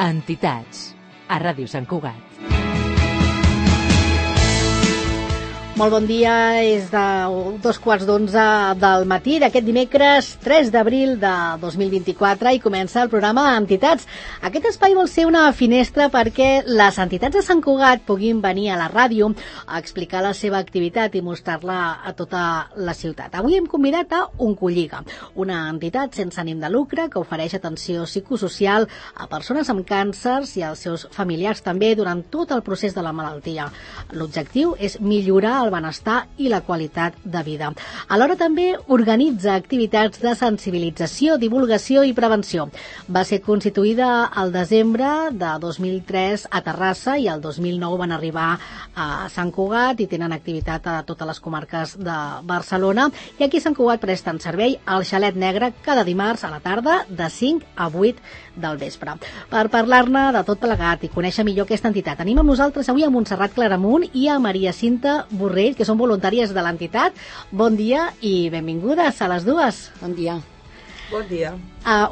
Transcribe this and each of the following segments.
Entitats, a Ràdio Sant Cugat. Molt bon dia, és de 2:15 del matí d'aquest dimecres 3 d'abril de 2024 i comença el programa Entitats. Aquest espai vol ser una finestra perquè les entitats de Sant Cugat puguin venir a la ràdio a explicar la seva activitat i mostrar-la a tota la ciutat. Avui hem convidat a Oncolliga, una entitat sense ànim de lucre que ofereix atenció psicosocial a persones amb càncers i als seus familiars també durant tot el procés de la malaltia. L'objectiu és millorar el benestar i la qualitat de vida. Alhora també organitza activitats de sensibilització, divulgació i prevenció. Va ser constituïda al desembre de 2003 a Terrassa i el 2009 van arribar a Sant Cugat i tenen activitat a totes les comarques de Barcelona. I aquí a Sant Cugat presten servei al Xalet Negre cada dimarts a la tarda de 5 a 8 del vespre. Per parlar-ne de tot plegat i conèixer millor aquesta entitat, tenim amb nosaltres avui a Montserrat Claramunt i a Maria Cinta Borrell, que són voluntàries de l'entitat. Bon dia i benvingudes a les dues. Bon dia. Bon dia.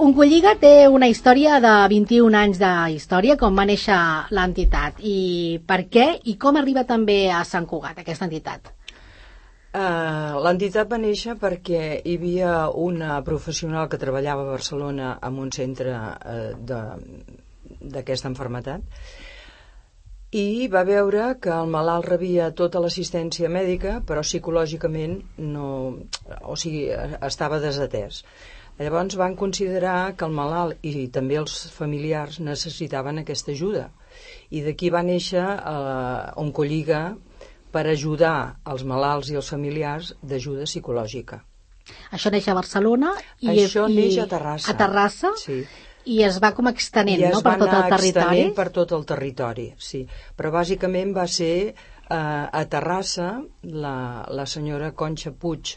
Oncolliga té una història de 21 anys d'història, com va néixer l'entitat. I per què i com arriba també a Sant Cugat, aquesta entitat? L'entitat va néixer perquè hi havia una professional que treballava a Barcelona en un centre d'aquesta malaltia i va veure que el malalt rebia tota l'assistència mèdica però psicològicament estava desatès. Llavors van considerar que el malalt i també els familiars necessitaven aquesta ajuda i d'aquí va néixer Oncolliga per ajudar els malalts i els familiars d'ajuda psicològica. Això neix a Barcelona i neix a Terrassa. A Terrassa? Sí. I es va com extenent, no?, per tot el territori. I es va anar extenent per tot el territori, sí. Però bàsicament va ser a Terrassa la senyora Conxa Puig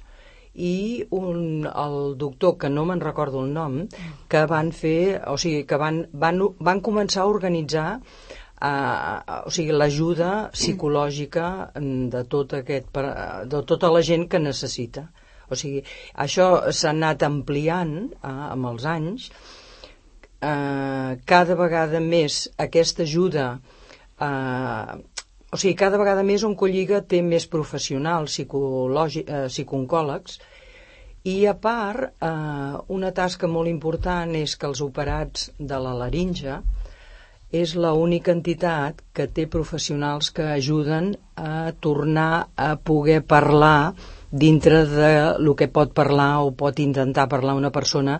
i el doctor, que no me'n recordo el nom, que van fer, o sigui, que van començar a organitzar l'ajuda psicològica de tota la gent que necessita. O sigui, això s'ha anat ampliant amb els anys. Cada vegada més aquesta ajuda, cada vegada més Oncolliga té més professionals psicooncòlegs i a part una tasca molt important és que els operats de la laringe és l'única entitat que té professionals que ajuden a tornar a poder parlar dintre de lo que pot parlar o pot intentar parlar una persona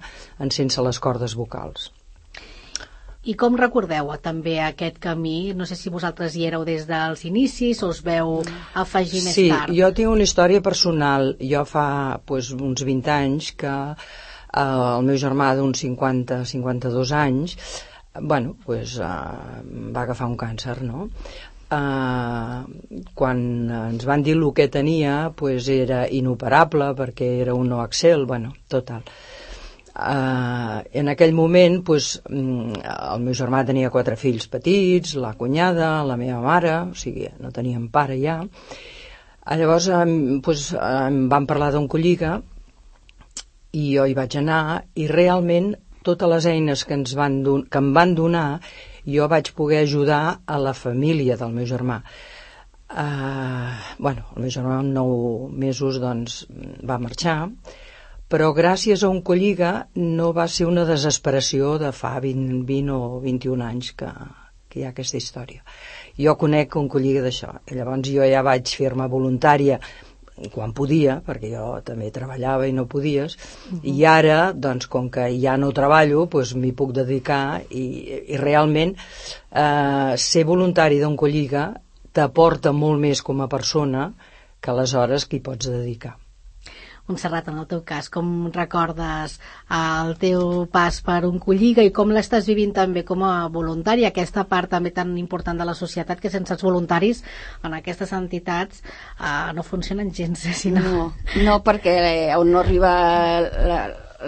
sense les cordes vocals. I com recordeu també aquest camí? No sé si vosaltres hi éreu des dels inicis o us veu afegir més tard. Sí, jo tinc una història personal. Jo fa uns 20 anys que el meu germà d'uns 50-52 anys va agafar un càncer, no? Quan ens van dir el que tenia era inoperable perquè era un noaxel, total. En aquell moment el meu germà tenia 4 fills petits, la cunyada, la meva mare, o sigui, no teníem pare ja. Llavors em van parlar d'Oncolliga i jo hi vaig anar i realment totes les eines que em van donar jo vaig poder ajudar a la família del meu germà. El meu germà en 9 mesos va marxar, però gràcies a Oncolliga no va ser una desesperació de fa 20 o 21 anys que hi ha aquesta història. Jo conec Oncolliga d'això, i llavors jo ja vaig fer-me voluntària quan podia, perquè jo també treballava i no podies, i ara, com que ja no treballo, m'hi puc dedicar i realment ser voluntari d'Oncolliga t'aporta molt més com a persona que les hores que hi pots dedicar. Montserrat, en el teu cas, com recordes el teu pas per Oncolliga i com l'estàs vivint també com a voluntària, aquesta part també tan important de la societat que sense els voluntaris en aquestes entitats no funcionen gens, sinó... No, perquè on no arriba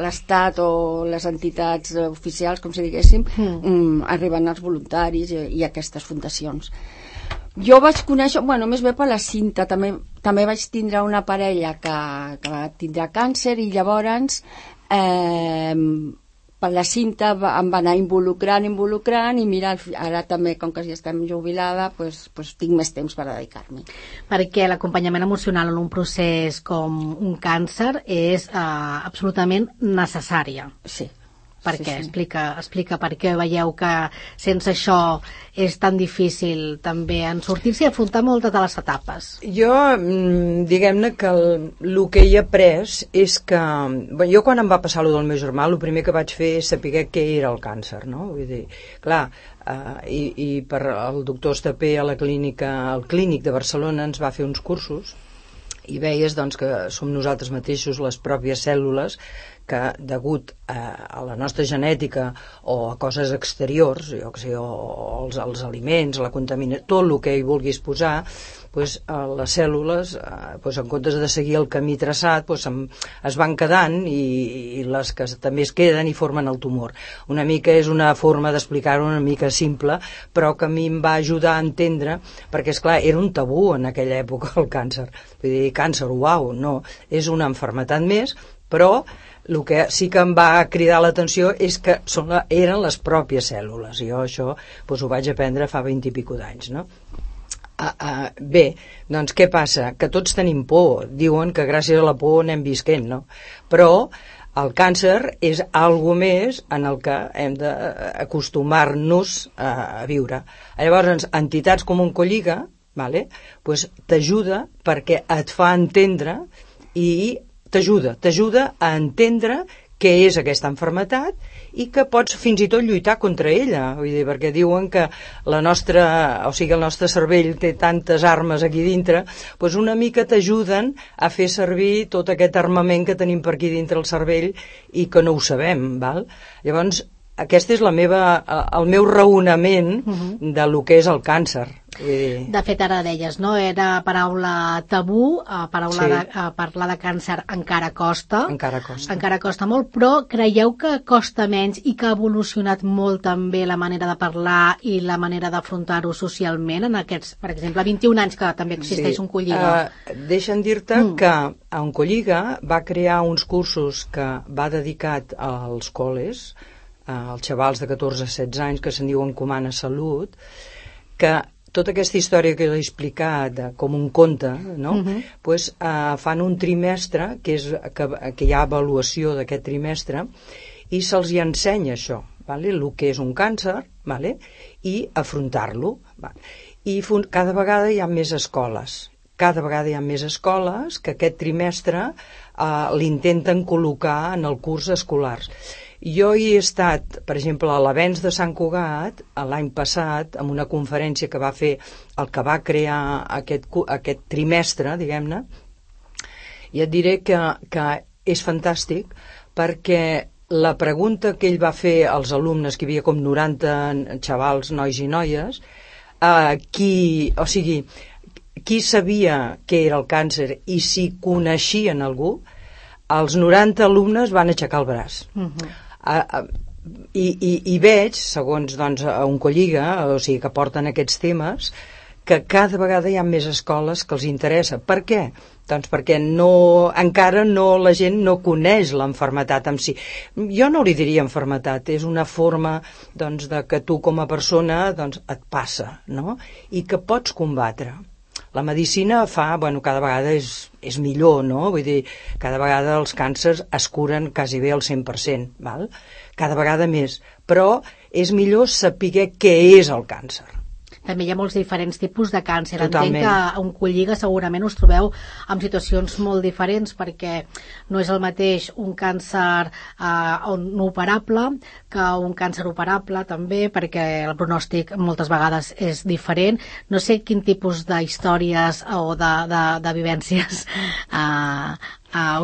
l'Estat o les entitats oficials, com si diguéssim, arriben els voluntaris i aquestes fundacions. Jo vaig conèixer, més bé per la Cinta, també vaig tindre una parella que va tindre càncer i llavors per la cinta em va anar involucrant, i mira, ara també, com que ja estem jubilada, pues tinc més temps per dedicar-m'hi. Perquè l'acompanyament emocional en un procés com un càncer és absolutament necessària. Sí. Per què? Explica per què veieu que sense això és tan difícil també en sortir-se i afrontar moltes de les etapes. Jo, diguem-ne que el que he après és que... Jo quan em va passar allò del meu germà, el primer que vaig fer és saber què era el càncer, no? Vull dir, clar, i per el doctor Estapé al Clínic de Barcelona ens va fer uns cursos i veies doncs, que som nosaltres mateixos les pròpies cèl·lules que degut a la nostra genètica o a coses exteriors, jo que sé, o als aliments, a la contaminació, tot el que hi vulguis posar, pues, les cèl·lules, pues, en comptes de seguir el camí traçat, pues, es van quedant i les que també es queden i formen el tumor. Una mica és una forma d'explicar-ho una mica simple, però que a mi em va ajudar a entendre, perquè, esclar, era un tabú en aquella època el càncer. Vull dir, càncer, uau, no, és una malaltia més, però el que sí que em va cridar l'atenció és que eren les pròpies cèl·lules. Jo això ho vaig aprendre fa 20 i pico d'anys, no? Bé, doncs què passa? Que tots tenim por. Diuen que gràcies a la por anem visquent, no? Però el càncer és algo més en el que hem d'acostumar-nos a viure. Llavors, entitats com Oncolliga, vale, pues, t'ajuda perquè et fa entendre i t'ajuda a entendre què és aquesta malaltia i que pots fins i tot lluitar contra ella. Vull dir, perquè diuen que el nostre cervell té tantes armes aquí dintre, doncs una mica t'ajuden a fer servir tot aquest armament que tenim per aquí dintre el cervell i que no ho sabem, val? Llavors, aquest és el meu raonament de lo que és el càncer. De fet, ara deies, no? Era paraula tabú, parlar de càncer encara costa. Encara costa molt, però creieu que costa menys i que ha evolucionat molt també la manera de parlar i la manera d'afrontar-ho socialment en aquests, per exemple, 21 anys que també existeix Oncolliga? Deixa'm dir-te que Oncolliga va crear uns cursos que va dedicat als col·les, als xavals de 14-16 anys que se'n diuen Comana Salut, que tota aquesta història que he explicat com un conte, no? Pues, fan un trimestre que hi ha avaluació d'aquest trimestre i se'ls hi ensenya això, vale? El que és un càncer, vale? I afrontar-lo, i cada vegada hi ha més escoles que aquest trimestre l'intenten col·locar en el curs escolars. Jo hi he estat, per exemple, a l'Avenç de Sant Cugat l'any passat, en una conferència que va fer el que va crear aquest trimestre, diguem-ne, i et diré que és fantàstic perquè la pregunta que ell va fer als alumnes, que hi havia com 90 xavals, nois i noies, qui sabia què era el càncer i si coneixien algú, els 90 alumnes van aixecar el braç. I veig, segons doncs, Oncolliga, o sigui que porten aquests temes, que cada vegada hi ha més escoles que els interessa. Per què? Doncs perquè encara la gent no coneix l'enfermetat en si. Jo no li diria enfermetat, és una forma doncs, de que tu com a persona doncs, et passa, no? I que pots combatre. La medicina cada vegada és millor, no? Vull dir, cada vegada els càncers es curen quasi bé al 100%, val? Cada vegada més. Però és millor saber què és el càncer. També hi ha molts diferents tipus de càncer. Totalment. Entenc que a Oncolliga segurament us trobeu en situacions molt diferents perquè no és el mateix un càncer no operable que un càncer operable també, perquè el pronòstic moltes vegades és diferent. No sé quin tipus d'històries o de vivències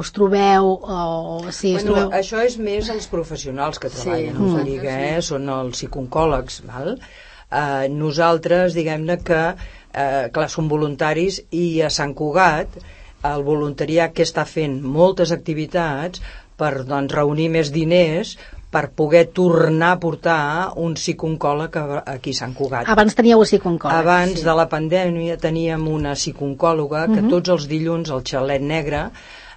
us trobeu trobeu... Això és més els professionals que treballen a Oncolliga, són els psicooncòlegs, val? Nosaltres, diguem-ne que clar, som voluntaris i a Sant Cugat el voluntariat que està fent moltes activitats per doncs, reunir més diners per poder tornar a portar un psicooncòleg aquí a Sant Cugat. Abans teníeu un psicooncòleg. Abans de la pandèmia teníem una psicooncòloga que tots els dilluns al Xalet Negre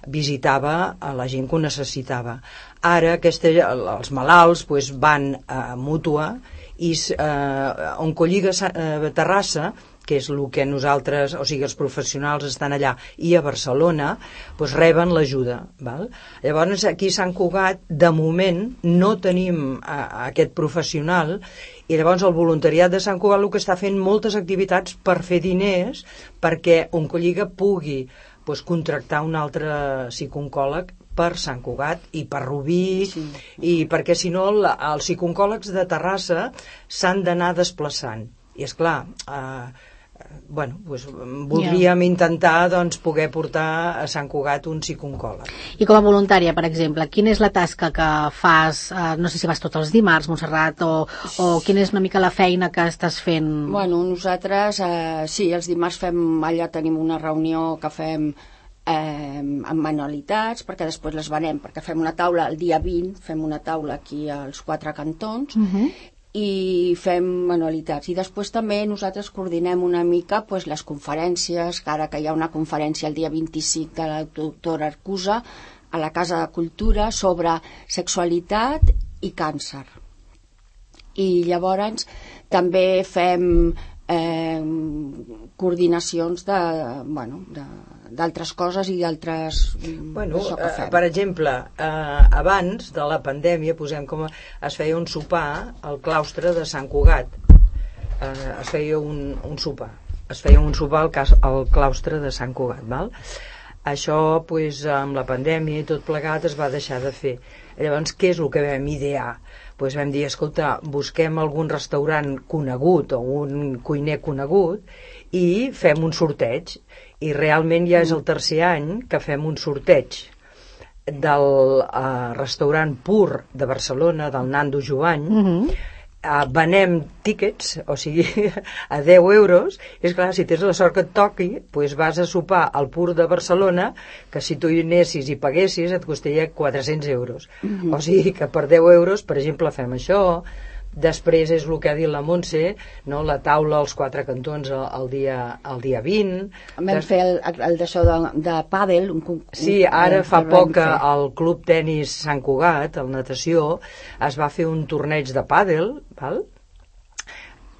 visitava a la gent que ho necessitava. Ara els malalts van a Mútua i Oncolliga Terrassa, que és el que nosaltres, o sigui, els professionals estan allà, i a Barcelona, reben l'ajuda. Llavors, aquí a Sant Cugat, de moment, no tenim aquest professional, i llavors el voluntariat de Sant Cugat el que està fent moltes activitats per fer diners perquè Oncolliga pugui contractar un altre psicooncòleg per Sant Cugat i per Rubí, i perquè si no els psicooncòlegs de Terrassa s'han d'anar desplaçant. I és clar, voldríem intentar poder portar a Sant Cugat un psicooncòleg. I com a voluntària, per exemple, quina és la tasca que fas? No sé si vas tots els dimarts, Montserrat, o quina és una mica la feina que estàs fent? Bueno, nosaltres, sí, els dimarts allà tenim una reunió que fem amb manualitats, perquè després les venem, perquè fem una taula el dia 20, fem una taula aquí als 4 cantons, i fem manualitats. I després també nosaltres coordinem una mica les conferències, que ara que hi ha una conferència el dia 25 de la doctora Arcusa a la Casa de Cultura sobre sexualitat i càncer. I llavors també fem coordinacions d'altres coses i d'altres... Per exemple, abans de la pandèmia es feia un sopar al claustre de Sant Cugat. Es feia un sopar al claustre de Sant Cugat, val? Això, amb la pandèmia i tot plegat, es va deixar de fer. Llavors, què és el que vam idear? Vam dir, escolta, busquem algun restaurant conegut o un cuiner conegut i fem un sorteig. I realment ja és el tercer any que fem un sorteig del restaurant Pur de Barcelona, del Nando Jovany. Venem tíquets, o sigui, a 10 euros, i és clar, si tens la sort que et toqui, vas a sopar al Pur de Barcelona, que si tu hi anessis i paguessis et costaria 400 euros. O sigui que per 10 euros, per exemple, fem això. Després és el que ha dit la Montse, la taula als 4 cantons el dia 20. Vam fer el d'això de pàdel. Sí, ara fa poc al Club Tenis Sant Cugat, el natació, es va fer un torneig de pàdel, val?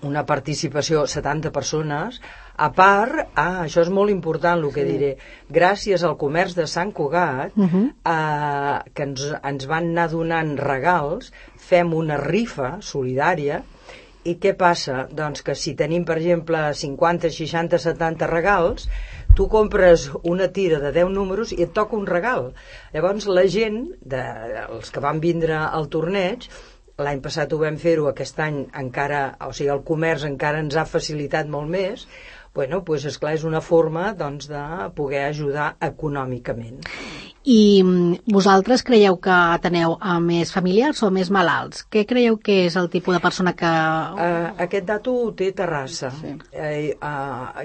Una participació, 70 persones. A part, això és molt important el que diré, gràcies al comerç de Sant Cugat, que ens van anar donant regals, fem una rifa solidària. I què passa? Doncs que si tenim, per exemple, 50, 60, 70 regals, tu compres una tira de 10 números i et toca un regal. Llavors la gent, els que van vindre al torneig, l'any passat ho vam fer-ho, aquest any encara, o sigui, el comerç encara ens ha facilitat molt més. Esclar, és una forma de poder ajudar econòmicament. I vosaltres creieu que teniu més familiars o més malalts? Què creieu que és el tipus de persona que... Aquest dato ho té Terrassa. Sí.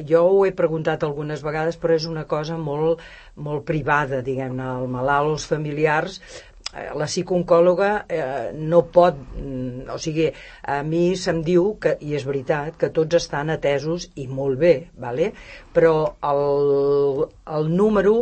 Jo ho he preguntat algunes vegades, però és una cosa molt, molt privada, diguem-ne, el malalt, els familiars... La psicooncòloga no pot, o sigui, a mi se'm diu, i és veritat, que tots estan atesos i molt bé, vale? Però el número...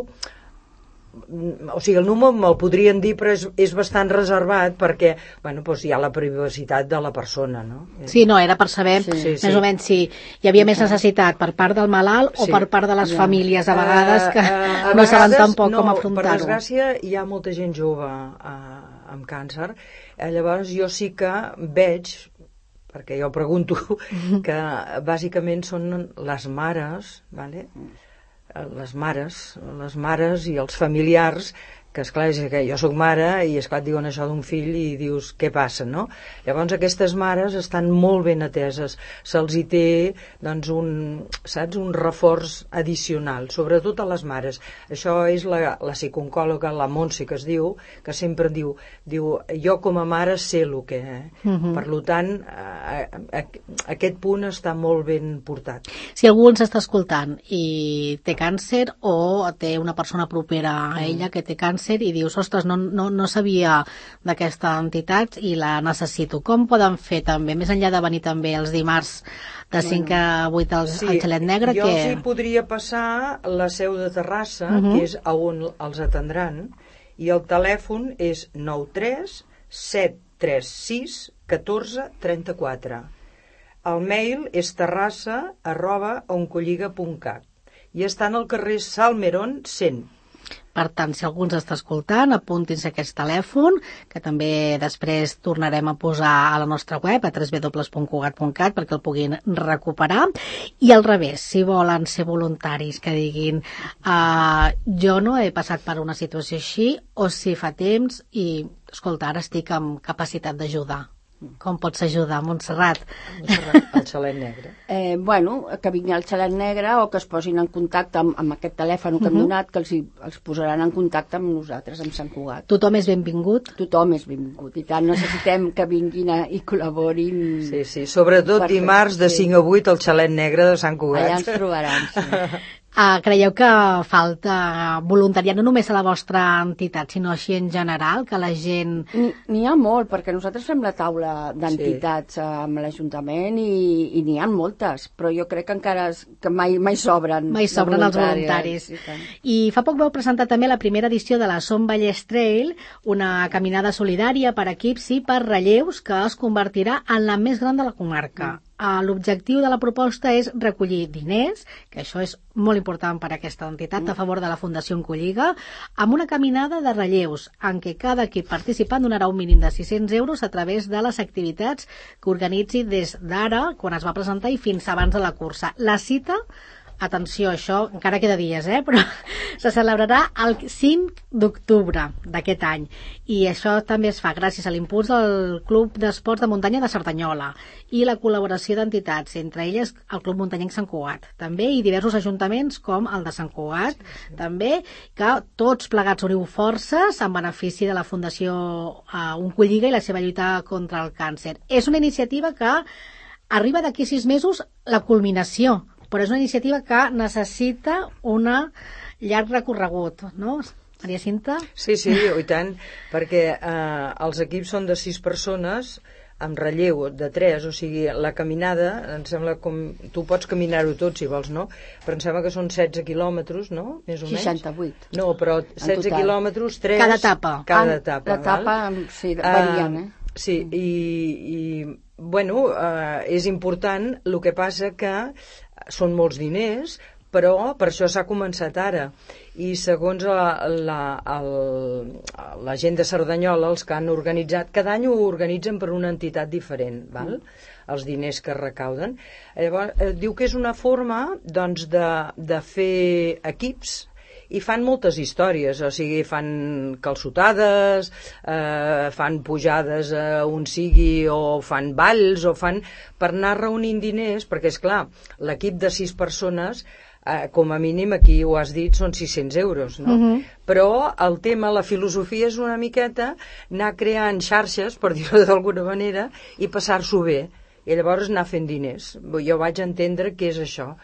O sigui, el número me'l podrien dir, però és bastant reservat perquè hi ha la privacitat de la persona, no? Sí, no, era per saber més o menys si hi havia més necessitat per part del malalt o per part de les famílies, a vegades, que no saben tampoc com afrontar-ho. Per desgràcia, hi ha molta gent jove amb càncer, llavors jo sí que veig, perquè jo pregunto, que bàsicament són les mares, vale? Les mares i els familiars, que esclar, és que jo soc mare i esclar et diuen això d'un fill i dius què passa, no? Llavors aquestes mares estan molt ben ateses, se'ls hi té un reforç addicional, sobretot a les mares. Això és la psicooncòloga, la Montse, que es diu, que sempre diu jo com a mare sé el que per tant aquest punt està molt ben portat. Si algú ens està escoltant i té càncer o té una persona propera a ella que té càncer i dius, ostres, no sabia d'aquesta entitat i la necessito. Com poden fer també, més enllà de venir també els dimarts de 5 a 8 al Xalet Negre? Jo sí podria passar la seu de Terrassa, que és on els atendran, i el telèfon és 93 736 14 34. El mail és terrassa@oncolliga.cat i estan al carrer Salmerón 100. Per tant, si algú ens està escoltant, apuntin-se aquest telèfon, que també després tornarem a posar a la nostra web, a www.cugat.cat, perquè el puguin recuperar. I al revés, si volen ser voluntaris que diguin jo no he passat per una situació així, o si fa temps i, escolta, ara estic amb capacitat d'ajudar. Com pots ajudar, Montserrat? El xalet negre. Que vinguin al xalet negre o que es posin en contacte amb aquest telèfon que hem donat, que els posaran en contacte amb nosaltres, amb Sant Cugat. Tothom és benvingut? Tothom és benvingut. I tant, necessitem que vinguin i col·laborin. Sí, sobretot dimarts de 5 a 8 al xalet negre de Sant Cugat. Allà ens trobaran, sí. Creieu que falta voluntariat no només a la vostra entitat, sinó així en general, que la gent... N'hi ha molt, perquè nosaltres fem la taula d'entitats amb l'Ajuntament i n'hi ha moltes, però jo crec que encara que mai sobren. Mai sobren els voluntaris. I fa poc vau presentar també la primera edició de la Som Vallès Trail, una caminada solidària per equips i per relleus que es convertirà en la més gran de la comarca. L'objectiu de la proposta és recollir diners, que això és molt important per a aquesta entitat, a favor de la Fundació Oncolliga, amb una caminada de relleus, en què cada equip participant donarà un mínim de 600 euros a través de les activitats que organitzi des d'ara, quan es va presentar, i fins abans de la cursa. La cita, atenció, això encara queda dies, però se celebrarà el 5 d'octubre d'aquest any. I això també es fa gràcies a l'impuls del Club d'Esports de Muntanya de Cerdanyola i la col·laboració d'entitats, entre elles el Club Muntanyenc Sant Cugat, també, i diversos ajuntaments com el de Sant Cugat, també, que tots plegats uniu forces en benefici de la Fundació Oncolliga i la seva lluita contra el càncer. És una iniciativa que arriba d'aquí 6 mesos la culminació, però és una iniciativa que necessita un llarg recorregut, no? Maria Cinta? Sí, i tant, perquè els equips són de 6 persones amb relleu de 3, o sigui, la caminada, em sembla com... Tu pots caminar-ho tot, si vols, no? Però em sembla que són 16 quilòmetres, no? Més o menys. 68. No, però 16 quilòmetres, 3... Cada etapa. Cada etapa, l'etapa, sí, variant, Sí, bueno, és important, el que passa que són molts diners, però per això s'ha començat ara. I segons la gent de Cerdanyola, els que han organitzat, cada any ho organitzen per una entitat diferent, val? Els diners que recauden. Llavors, diu que és una forma doncs, de fer equips, i fan moltes històries, o sigui, fan calçotades, fan pujades on sigui, o fan balls, o fan per anar reunint diners, perquè és clar, l'equip de 6 persones, com a mínim aquí ho has dit, són 600 euros, no? Però el tema, la filosofia és una miqueta anar creant xarxes, per dir-ho d'alguna manera, i passar-s'ho bé, i llavors anar fent diners. Jo vaig entendre què és això.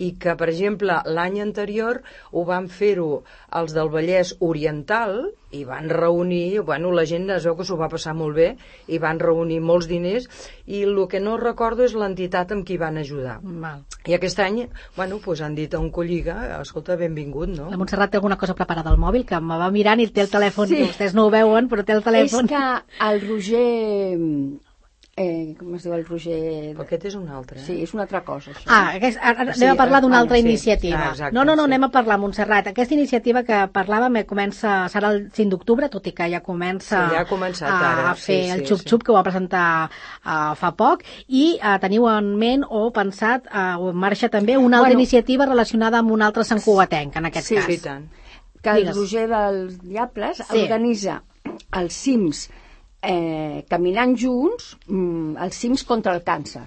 I que, per exemple, l'any anterior ho van fer-ho els del Vallès Oriental i van reunir, bueno, la gent es veu que s'ho va passar molt bé i van reunir molts diners i el que no recordo és l'entitat amb qui van ajudar. I aquest any, bueno, doncs han dit a Oncolliga, escolta, benvingut, no? La Montserrat té alguna cosa preparada al mòbil, que me va mirant i té el telèfon, que vostès no ho veuen, però té el telèfon. És que el Roger... com es diu el Roger... Aquest és un altre. Sí, és una altra cosa, això. Anem a parlar d'una altra iniciativa. No, anem a parlar, Montserrat. Aquesta iniciativa que parlàvem serà el 5 d'octubre, tot i que ja comença a fer el xup-xup, que ho va presentar fa poc, i teniu en ment o pensat, o en marxa també, una altra iniciativa relacionada amb un altre santcugatenc, en aquest cas. Sí, i tant. Que el Roger dels Diables organitza els cims caminant junts, els cims contra el càncer,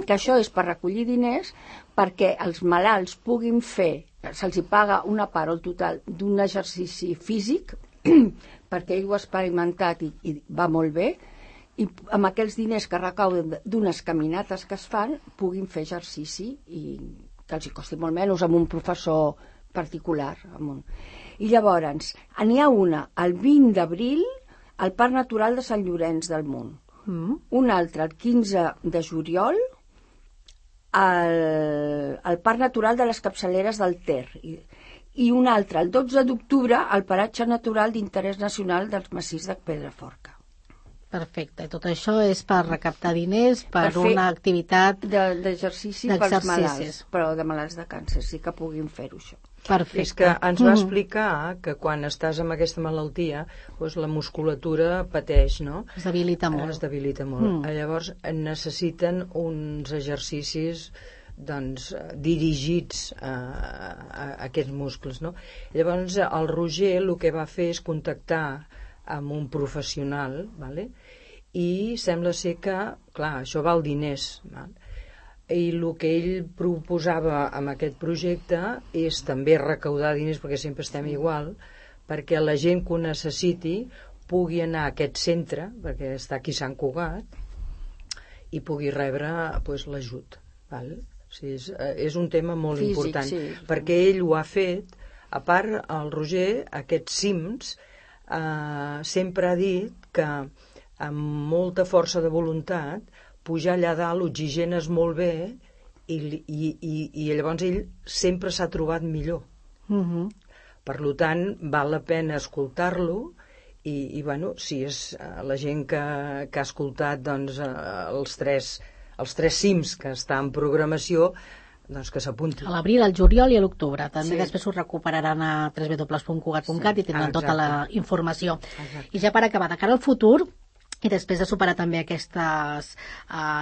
que això és per recollir diners perquè els malalts puguin fer, se'ls paga una part o el total d'un exercici físic perquè ell ho ha experimentat i va molt bé, i amb aquells diners que recauden d'unes caminates que es fan puguin fer exercici i que els hi costi molt menys amb un professor particular. I llavors n'hi ha una el 20 d'abril al Parc Natural de Sant Llorenç del Munt. Un altre, el 15 de juliol, al Parc Natural de les Capçaleres del Ter. i un altre, el 12 d'octubre, al Paratge Natural d'Interès Nacional dels Massís de Pedraforca. Perfecte, i tot això és per recaptar diners per fer una activitat d'exercici pels malalts, però de malalts de càncer, sí que puguin fer-ho, això. Perfecte. És que ens va explicar que quan estàs amb aquesta malaltia, doncs la musculatura pateix, no? Es debilita molt. Es debilita molt. Llavors necessiten uns exercicis doncs, dirigits a aquests muscles, no? Llavors el Roger el que va fer és contactar amb un professional, vale? I sembla ser que, clar, això val diners, val? I el que ell proposava amb aquest projecte és també recaudar diners, perquè sempre estem igual, perquè la gent que ho necessiti pugui anar a aquest centre, perquè està aquí a Sant Cugat, i pugui rebre doncs, l'ajut. Val? O sigui, és un tema molt important, sí. Perquè ell ho ha fet. A part, el Roger, aquests cims, sempre ha dit que amb molta força de voluntat pujar allà dalt oxigenes molt bé i llavors ell sempre s'ha trobat millor. Per tant, val la pena escoltar-lo i bueno, si és la gent que ha escoltat doncs, els tres cims que està en programació, doncs que s'apunti. A l'abril, al juliol i a l'octubre. També després ho recuperaran a www.cugat.cat i tindran tota la informació. Exacte. I ja per acabar, de cara al futur, i després de superar també aquestes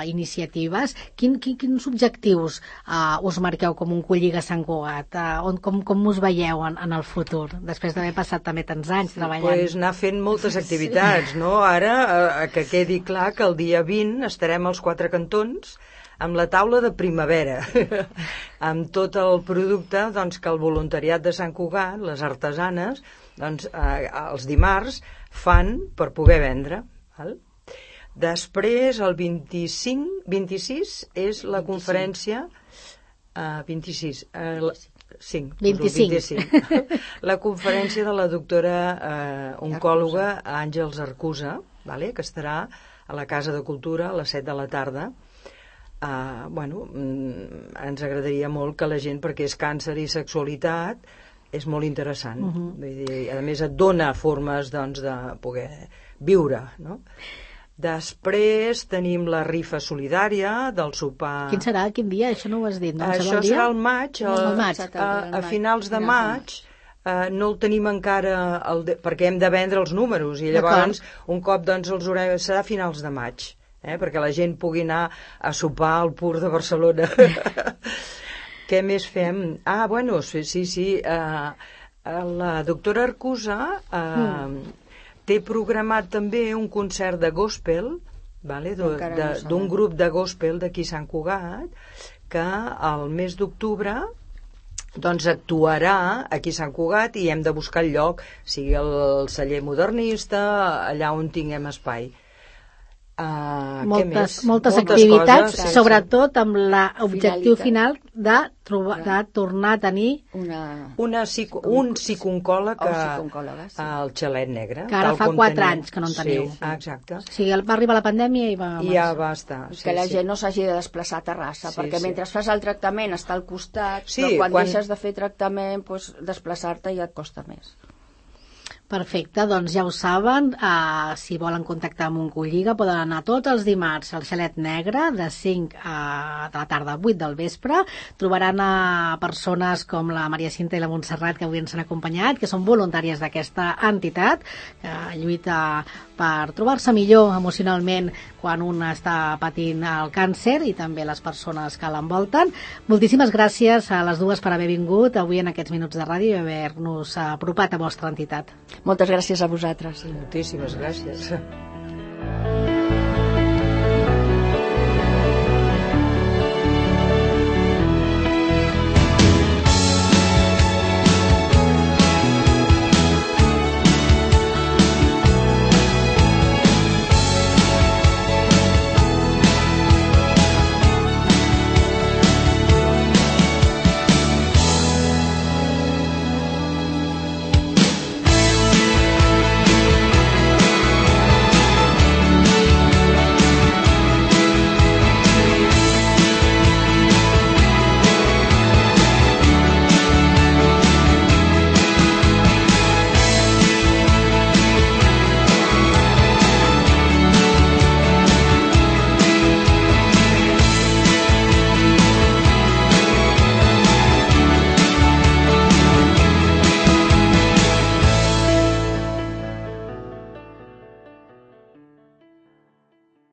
iniciatives, quins objectius us marqueu com un Colliga Sant Cugat? Com us veieu en el futur, després d'haver passat també tants anys treballant? Doncs anar fent moltes activitats, no? Ara, que quedi clar que el dia 20 estarem als 4 cantons amb la taula de primavera, amb tot el producte doncs, que el voluntariat de Sant Cugat, les artesanes, doncs, els dimarts fan per poder vendre. Val? Després, el 26 és la conferència... 25. La conferència de la doctora oncòloga Àngels Arcusa, vale? Que estarà a la Casa de Cultura a les 7 de la tarda. Ens agradaria molt que la gent, perquè és càncer i sexualitat, és molt interessant. Vull dir, a més et dona formes doncs, de poder viure, no? Després tenim la rifa solidària del sopar... Quin serà? Quin dia? Això no ho has dit, no? Això serà al maig, a finals de maig. No el tenim encara perquè hem de vendre els números i llavors un cop doncs, serà a finals de maig, perquè la gent pugui anar a sopar al Pur de Barcelona. Què més fem? Sí. La doctora Arcusa té programat també un concert de gospel, d'un grup de gospel d'aquí a Sant Cugat, que al mes d'octubre doncs actuarà aquí a Sant Cugat i hem de buscar el lloc, sigui el celler modernista, allà on tinguem espai. Moltes activitats, sobretot amb l'objectiu final de tornar a tenir un psicooncòleg al Xalet Negre, que ara fa 4 anys que no en teniu. Exacte. O sigui, va arribar la pandèmia i ja va estar. Que la gent no s'hagi de desplaçar a Terrassa, perquè mentre fas el tractament està al costat, però quan deixes de fer tractament, desplaçar-te ja et costa més. Perfecte, doncs ja ho saben, si volen contactar amb un Colliga poden anar tots els dimarts al Xalet Negre de 5 de la tarda a 8 del vespre. Trobaran a persones com la Maria Cinta i la Montserrat que avui ens han acompanyat, que són voluntàries d'aquesta entitat que lluita per trobar-se millor emocionalment quan un està patint el càncer i també les persones que l'envolten. Moltíssimes gràcies a les dues per haver vingut avui en aquests minuts de ràdio i haver-nos apropat a vostra entitat. Moltes gràcies a vosaltres. Moltíssimes gràcies.